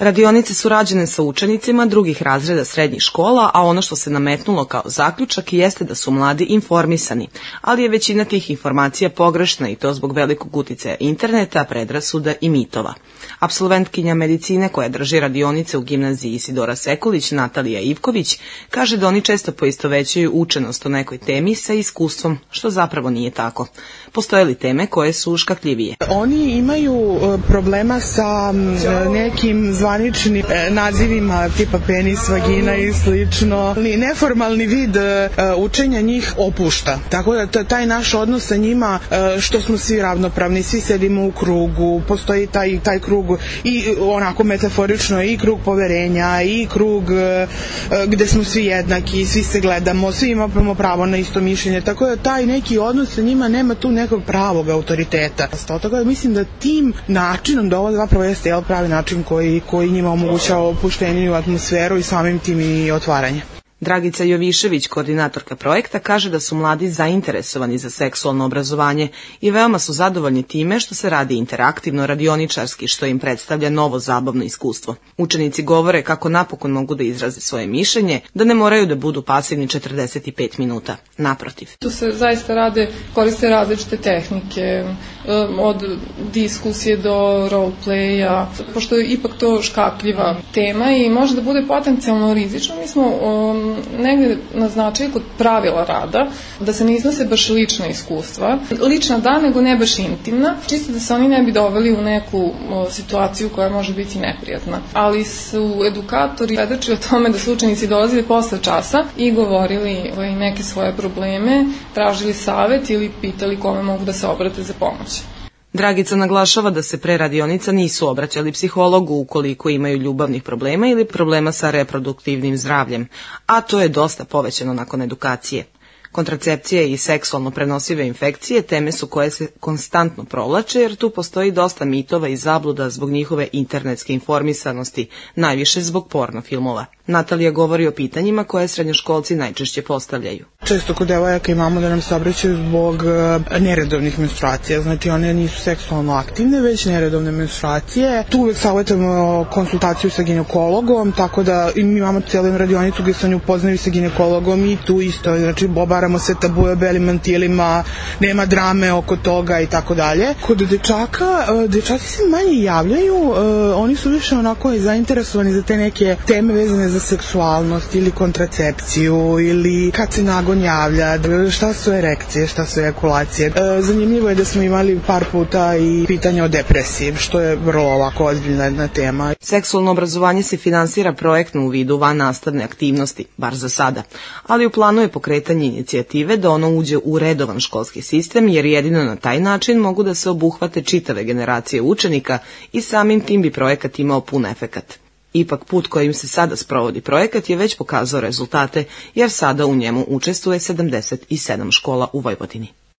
Radionice su rađene sa učenicima drugih razreda srednjih škola, a ono što se nametnulo kao zaključak jeste da su mladi informisani, ali je većina tih informacija pogrešna i to zbog velikog uticaja interneta, predrasuda i mitova. Apsolventkinja medicine koja drži radionice u gimnaziji Isidora Sekulić, Natalija Ivković, kaže da oni često poistovećuju učenost o nekoj temi sa iskustvom, što zapravo nije tako. Postoje li teme koje su škakljivije? Oni imaju problema sa nekim zvaničnim nazivima tipa penis, vagina i slično. Neformalni vid učenja njih opušta. Tako da taj naš odnos sa njima, što smo svi ravnopravni, svi sedimo u krugu, postoji taj krug i onako metaforično i krug poverenja i krug gde smo svi jednaki, svi se gledamo, svi imamo pravo na isto mišljenje. Tako da taj neki odnos sa njima nema tu nekog pravog autoriteta. Tako da mislim da tim načinom, da ovo zapravo jeste pravi način koji njima omogućava opušteniju atmosferu i samim tim i otvaranje. Dragica Jovišević, koordinatorka projekta, kaže da su mladi zainteresovani za seksualno obrazovanje i veoma su zadovoljni time što se radi interaktivno, radioničarski, što im predstavlja novo zabavno iskustvo. Učenici govore kako napokon mogu da izraze svoje mišljenje, da ne moraju da budu pasivni 45 minuta. Naprotiv. Tu se zaista koriste različite tehnike, od diskusije do roleplaya, pošto je ipak to škakljiva tema i može da bude potencijalno rizično. Mi smo negde naznačili kod pravila rada da se ne iznose baš lična iskustva. Lična da, nego ne baš intimna, čisto da se oni ne bi doveli u neku situaciju koja može biti neprijatna. Ali su edukatori svedočili o tome da su učenici dolazili posle časa i govorili neke svoje probleme, tražili savet ili pitali kome mogu da se obrate za pomoć. Dragica naglašava da se pre radionica nisu obraćali psihologu ukoliko imaju ljubavnih problema ili problema sa reproduktivnim zdravljem, a to je dosta povećano nakon edukacije. Kontracepcija i seksualno prenosive infekcije teme su koje se konstantno provlače jer tu postoji dosta mitova i zabluda zbog njihove internetske informisanosti, najviše zbog porno filmova. Natalija govori o pitanjima koje srednjoškolci najčešće postavljaju. Često kod devojaka imamo da nam se obraćaju zbog neredovnih menstruacija, znači one nisu seksualno aktivne, već neredovne menstruacije. Tu uvek savjetujemo konsultaciju sa ginekologom, tako da mi imamo cijelu radionicu gdje se oni upoznaju sa ginekologom i tu isto, znači obaramo se tabue o belim mantilima, nema drame oko toga i tako dalje. Kod dečaka, dečaci se manje javljaju, oni su više onako zainteresovani za te neke teme vezane za seksualnost ili kontracepciju ili kad se nagon javlja, šta su erekcije, šta su ejakulacije. Zanimljivo je da smo imali par puta i pitanje o depresiji, što je vrlo ovako ozbiljna jedna tema. Seksualno obrazovanje se finansira projektno u vidu van nastavne aktivnosti, bar za sada, ali u planu je pokretanje inicijative da ono uđe u redovan školski sistem, jer jedino na taj način mogu da se obuhvate čitave generacije učenika i samim tim bi projekat imao pun efekat. Ipak put kojim se sada sprovodi projekat je već pokazao rezultate, jer sada u njemu učestvuje 77 škola u Vojvodini.